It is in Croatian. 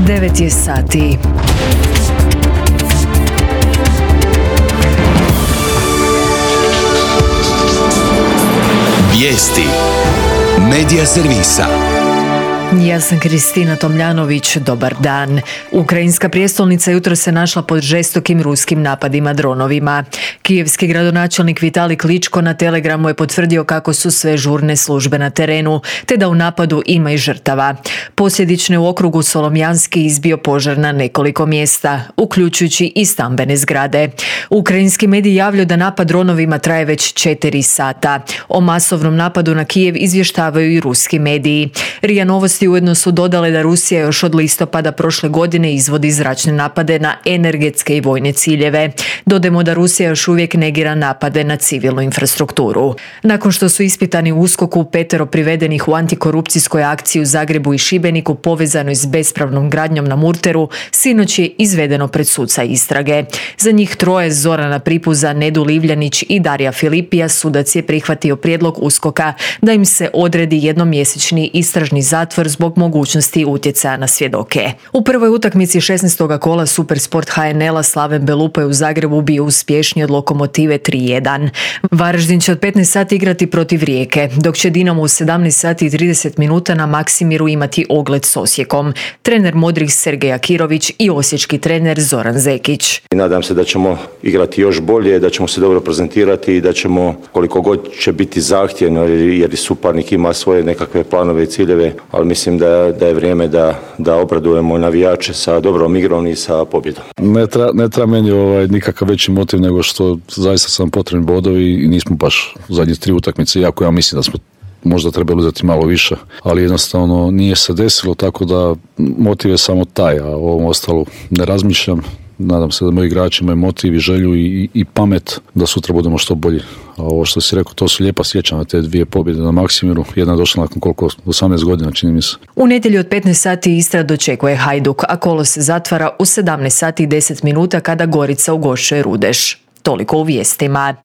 9 je sati. Vijesti Medija servisa. Ja sam Kristina Tomljanović, dobar dan. Ukrajinska prijestolnica jutros se našla pod žestokim ruskim napadima dronovima. Kijevski gradonačelnik Vitalij Kličko na Telegramu je potvrdio kako su sve žurne službe na terenu, te da u napadu ima i žrtava. Posljedično u okrugu Solomjanski izbio požar na nekoliko mjesta, uključujući i stambene zgrade. Ukrajinski mediji javljaju da napad dronovima traje već 4 sata. O masovnom napadu na Kijev izvještavaju i ruski mediji. RIA Novosti ujedno su dodale da Rusija još od listopada prošle godine izvodi zračne napade na energetske i vojne ciljeve. Dodajmo da Rusija još uvijek negira napade na civilnu infrastrukturu. Nakon što su ispitani u USKOK-u 5 privedenih u antikorupcijskoj akciji u Zagrebu i Šibeniku povezanoj s bespravnom gradnjom na Murteru, sinoć je izvedeno pred suca istrage. Za njih 3, Zorana Pripuza, Nedu Livljanić i Darija Filipija, sudac je prihvatio prijedlog USKOK-a da im se odredi jednomjesečni istražni zatvor zbog mogućnosti utjecaja na svjedoke. U prvoj utakmici 16. kola Supersport HNL-a Slaven Belupo je u Zagrebu bio uspješniji od Lokomotive 3:1. Varaždin će od 15 sati igrati protiv Rijeke, dok će Dinamo u 17 sati i 30 minuta na Maksimiru imati ogled s Osijekom. Trener modrih Sergej Akirović i osječki trener Zoran Zekić. Nadam se da ćemo igrati još bolje, da ćemo se dobro prezentirati i da ćemo, koliko god će biti zahtjevno, jer suparnik ima svoje nekakve planove i ciljeve, ali mislim da je vrijeme da obradujemo navijače sa dobrom igrom i sa pobjedom. Ne treba meni nikakav veći motiv nego što zaista sam potrebni bodovi i nismo baš u zadnjih 3 utakmice, iako ja mislim da smo možda trebali uzeti malo više, ali jednostavno nije se desilo, tako da motiv je samo taj, a o ovom ostalo ne razmišljam. Nadam se da moji igrači imaju motiv i želju i pamet da sutra budemo što bolji. A ovo što si rekao, to su lijepa sjećanja, te 2 pobjede na Maksimiru. Jedna je došla nakon 18 godina, čini mi se. U nedjelju od 15 sati Istra dočekuje Hajduk, a kolo se zatvara u 17 sati i 10 minuta kada Gorica ugošćuje Rudeš. Toliko u vijestima.